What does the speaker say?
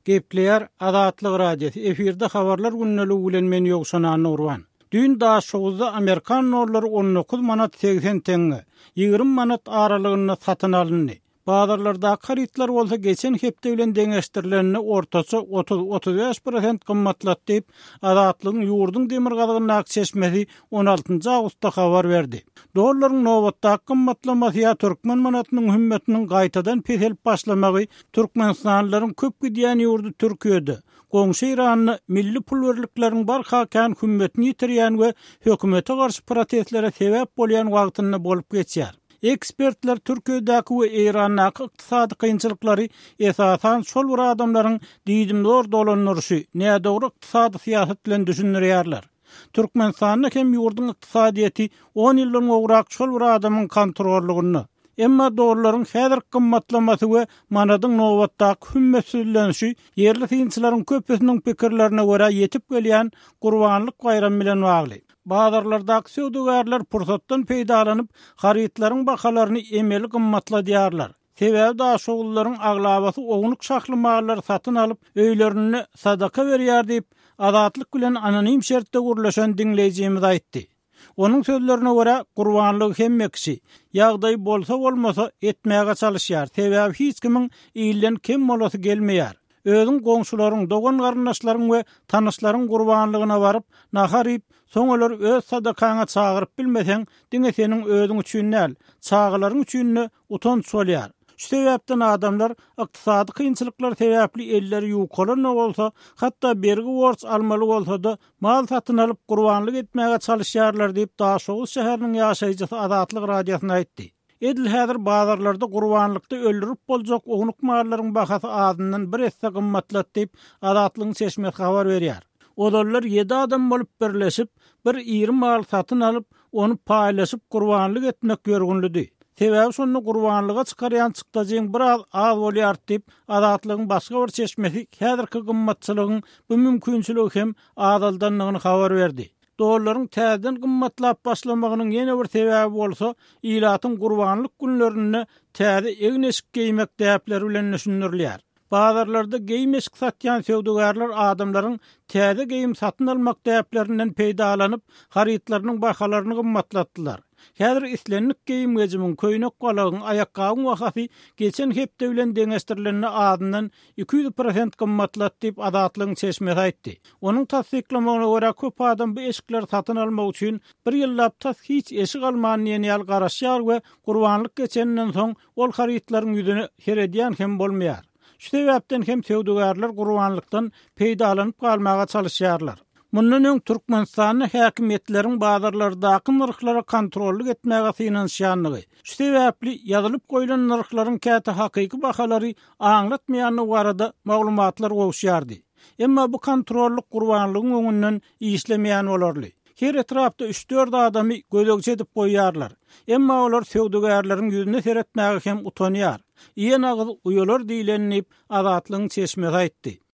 Gepleýär Azatlyk Radiosy, efirde Habarlar gündeligi bilen men Ýowşan Annagurban. Düýn Daşoguzda amerikan dollary 19 manat 80 teňňe, 20 manat aralygynda satyn alyndy. Bazarlardaky harytlar bolsa geçen hepde bilen deňeşdirilende ortaça 30-35 prosent gymmatlady diýip, Azatlygyň ýurduň demirgazygyndaky çeşmesi on altynjy awgustda habar berdi. Dollaryň nobatdaky gymmatlamasy ýa türkmen manatynyň hümmetiniň gaýtadan peselip başlamagy türkmenistanlylaryň köp gidýän ýurdy Türkiýede, goňşy Eýranda milli pul birlikleriniň barha kän hümmetini ýitirýän we hökümete garşy protestlere sebäp bolýan wagtynda bolup geçýär. Ekspertler Türkiýedäki we Eýrandaky ykdysady kynçylyklary esasan şol bir adamlaryň diýdimzor dolandyryşy, nädogry ykdysady syýasat bilen düşündirýärler. Türkmenistanda hem ýurduň ykdysadyýeti on ýyldan gowrak şol bir adamyň kontrollygynda. Emma dollaryň häzirki gymmatlamasy we manadyň nobatdaky hümmetsizlenişi ýerli synçylaryň köpüsiniň pikirlerine görä ýetip gelýän Gurbanlyk baýramy bilen bagly. Bazarlardaky söwdagärler pursatdan peýdalanyp, harytlaryň bahalaryny emeli gymmatladýarlar. Sebäbi daşoguzlylaryň aglabasy ownuk şahly mallary satyn alyp, öýlerinde sadaka berýär diýip, Azatlyk bilen anonim şertde gürleşen diňleýjimiz aýtdy. Onuň sözlerine görä, gurbanlygy hemme kişi, ýagdaýy bolsa-bolmasa, etmäge çalyşýar, sebäbi hiç kimiň ilden kem bolasy gelmeýär. Özüň goňşularyň, dogan-garyndaşlaryň we tanyşlaryň gurbanlygyna baryp, nahar iýip, soň olary öz sadakaňa çagyryp bilmeseň, diňe seniň özüň üçin däl, çagalaryň üçin-de utanç bolýar. Şu sebäpden adamlar ykdysady kynçylyklar sebäpli elleri ýukalan-da bolsa, hatda bergi-borç almaly bolsa-da, mal satyn alyp, gurbanlyk etmäge çalyşýarlar diýip, Daşoguz şäheriniň ýaşaýjysy Azatlyk Radiosyna aýtdy. Edil häzir bazarlarda gurbanlykda öldürip boljak ownuk mallaryň bahasy azyndan bir esse gymmatlady diýip, Azatlygyň çeşmesi habar berýär. Ozallar ýedi adam bolup birleşip, bir iri mal satyn alyp, ony paýlaşyp gurbanlyk etmek ýörgünlidi. Sebäbi şonda gurbanlyga çykarýan çykdajyň biraz az bolýardy diýip, Azatlygyň başga bir çeşmesi häzirki gymmatçylygyň bu mümkinçiligi hem azaldandygyny habar berdi. Dollaryň täzeden gymmatlap başlamagynyň ýene bir sebäbi bolsa, ilatyň gurbanlyk günlerinde täze egin-eşik geýmek däpleri bilen düşündirilýär. Bazarlarda geýim-eşik satýan söwdagärler adamlaryň täze geýim satyn almak däplerinden peýdalanyp, harytlarynyň bahalaryny gymmatlatdylar. Häzir islendik geýim-gejimiň, köýnek-balagyň, aýakgabyň bahasy geçen hepde bilen deňeşdirilende azyndan 200 prosent gymmatlady diýip, Azatlygyň çeşmesi aýtdy. Onuň tassyklamagyna görä, köp adam bu eşikleri satyn almak üçin bir ýyllap tas hiç eşik alman diýen ýaly garaşýar we gurbanlyk geçeninden soň ol harytlaryň ýüzüne seredýän hem bolmaýar. Şu sebäpden hem söwdagärler gurbanlykdan peýdalanyp galmaga çalyşýarlar. Mundan öň Türkmenistanda häkimiýetleriň bazarlardaky nyrhlara kontrollyk etmäge synanyşýandygy, şu sebäpli ýazylyp goýlan nyrhlaryň käte hakyky bahalary aňlatmaýandygy barada maglumatlar gowuşýardy. Emma bu kontrollyk gurbanlygyň öňünden işlemeýän bolarly. Her etrapda üç-dört adamy gözegçi edip goýýarlar. Emma olar söwdagärleriň ýüzüne seretmäge hem utanýar. Iýen agyz uýalar diýleni diýip, Azatlygyň çeşmesi aýtdy.